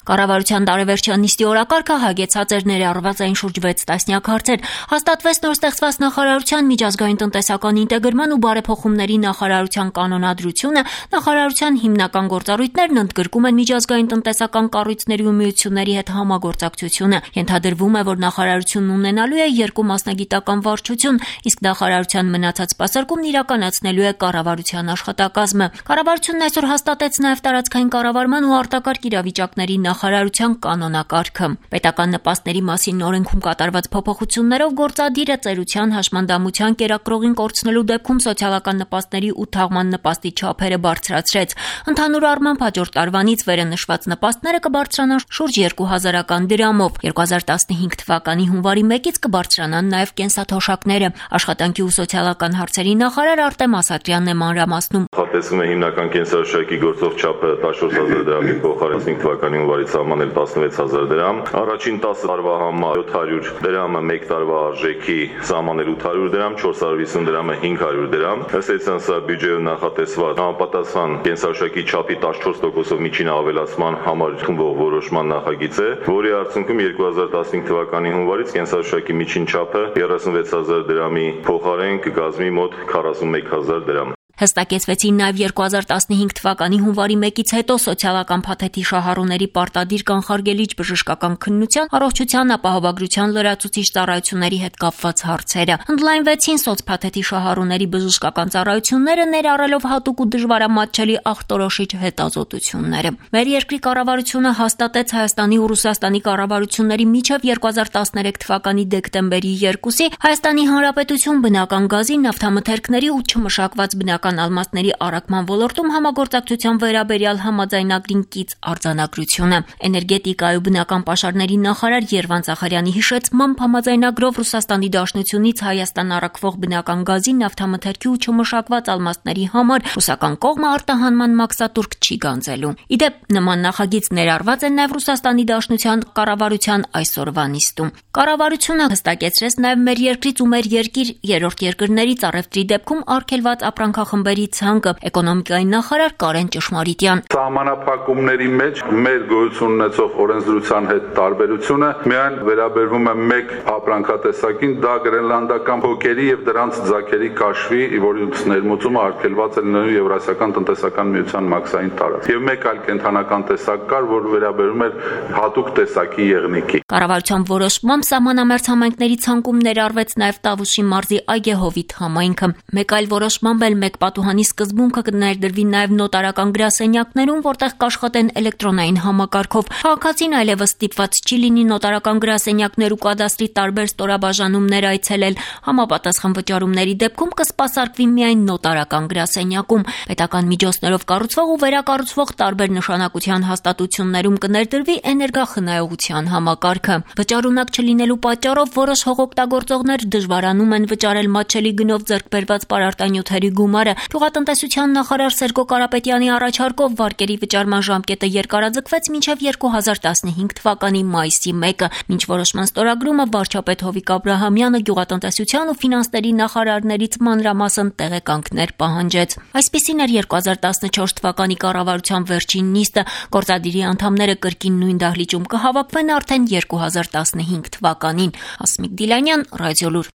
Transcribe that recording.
Կառավարության տարեվերջյան նիստի օրակարգը հագեցած էր ներառված այն շուրջ 6 տասնյակ հարցեր։ Հաստատվեց նոր ստեղծված նախարարության միջազգային տնտեսական ինտեգրման ու բարեփոխումների նախարարության կանոնադրությունը, նախարարության հիմնական գործառույթներն ընդգրկում են միջազգային տնտեսական կառույցների ու միությունների հետ համագործակցությունը։ Ենթադրվում է, որ նախարարությունն ունենալու է 2 մասնագիտական վարչություն, իսկ նախարարության մնացած սպասարկումն իրականացնելու է կառավարության աշխատակազմը։ Կառավարությունն այսօր հաստատեց նաև տարածքային կառավարման ու արտակարգ իրավիճակների նախարարության կանոնակարգը։ Պետական նպաստների մասին օրենքում կատարված փոփոխություններով գործադիրը ծերության, հաշմանդամության, կերակրողին կորցնելու դեպքում սոցիալական նպաստների ու թաղման նպաստի չափերը բարձրացրեց։ Ընդհանուր առմամբ հաջորդ տարվանից վերը նշված նպաստները կբարձրանան շուրջ 2000 դրամով։ 2015 թվականի հունվարի 1-ից կբարձրանան նաև կենսաթոշակները։ Աշխատանքի ու սոցիալական հարցերի նախարար Արտեմ Ասատրյանն է մանրամասնում։ Նախատեսվում է հիմնական կենսաթոշակի գործող չափը 14000 դրամի փոխարեն 15 թվականի հունվարից սահմանել 16000 դրամ։ Առաջին 10 տարվա համար 700 դրամը 1 տարվա արժեքի սահմանել 800 դրամ, 450 դրամը 500 դրամ։ Ըստ էության սա բյուջեում նախատեսված համապատասխան կենսաթոշակի չափի 14%-ով միջին ավելացման համար խմբող որոշման նախագիծ է, որի արդյունքում 2015 թվականի հունվարից կենսաթոշակի միջին չափը 36000 դրամի փոխարեն կկազմի մոտ 41000 դրամ։ Հստակեցվեցին նաև 2015 թվականի հունվարի 1-ից հետո սոցիալական փաթեթի շահառուների պարտադիր կանխարգելիչ բժշկական քննության, առողջության ապահովագրության լրացուցիչ ծառայությունների հետ կապված հարցերը։ Ընդլայնվեցին սոցփաթեթի շահառուների բժշկական ծառայությունները, ներառելով հատուկ ու դժվարամատչելի ախտորոշիչ հետազոտությունները։ Մեր երկրի կառավարությունը հաստատեց Հայաստանի ու Ռուսաստանի կառավարությունների միջև 2013 թվականի դեկտեմբերի 2-ի Հայաստանի Հանրապետություն բնական գազի, նավթամթերքների ու չմշակված բնական ալմաստների առաքման ոլորտում համագործակցության վերաբերյալ համաձայնագրին կից արձանագրությունը։ Էներգետիկայի ու բնական պաշարների նախարար Երվանդ Զախարյանի հիշեցմամբ համաձայնագրով Ռուսաստանի Դաշնությունից Հայաստան առաքվող բնական գազի, նավթամթերքի ու չմշակված ալմաստների համար ռուսական կողմը արտահանման մաքսատուրք չի գանձելու։ Իդեպ նման նախագիծ ներառված է նաև Ռուսաստանի Դաշնության կառավարության այսօրվա նիստում։ Կառավարությունը հստակեցրեց նաև մեր երկրից ու մեր երկիր երրորդ երկրներից առևտրի դեպքում արգելված ապրանքախմբերի ցանկը։ Էկոնոմիկայի նախարար Կարեն Ճշմարիտյան։ Սահմանափակումների մեջ մեր գոյություն ունեցող օրենսդրության հետ տարբերությունը միայն վերաբերվում է մեկ ապրանքատեսակին, դա գրենլանդական փոկերի եւ դրանց ձագերի կաշվի, որի ներմուծումը արգելված է լինելու Եվրասիական տնտեսական միության մաքսային տարածք։ Եվ մեկ այլ կենթանական տեսակ կար, որ վերաբերում էր հատուկ տեսակի եղնիկի։ Կառավարության որոշմամբ սահմանամերձ համայնքների ցանկում ներառվեց նաև Տավուշի մարզի Այգեհովիթ համայնքը։ Մեկ այլ որոշմամբ էլ մեկ պատուհանի սկզբունքը կներդրվի նաև նոտարական գրասենյակներում, որտեղ կաշխատեն էլեկտրոնային համակարգով։ Քաղաքացին այլևս ստիպված չի լինի նոտարական գրասենյակներ ու կադաստրի տարբեր ստորաբաժանումներ այցելել։ Համապատասխան վճարումների դեպքում կսպասարկվի միայն նոտարական գրասենյակում։ Պետական միջոցներով կառուցվող ու վերակառուցվող տարբեր նշանակության հաստատություններում կներդրվի էներգախնայողության համակարգը։ Վճարունակ չլինելու պատճառով որոշ հողօգտագործողներ դժվարանում են վճարել մատչելի գնով ձեռք բերված պարարտանյութերի գումարը։ Գյուղատնտեսության նախարար Սերգո Կարապետյանի առաջարկով վարկերի վճարման ժամկետը երկարաձգվեց մինչև 2015 թվականի մայիսի 1-ը։ Մինչ որոշման ստորագրումը վարչապետ Հովիկ Աբրահամյանը գյուղատնտեսության ու ֆինանսների նախարարներից մանրամասն տեղեկանքներ պահանջեց։ Այսպիսին էր 2014 թվականի կառավարության վերջին նիստը։ Գործադիրի անդամները կրկին նույն դահլիճում կհավաքվեն արդեն 2015 թվականին։ Ասմիկ Դիլանյան, Ռադիոլուր։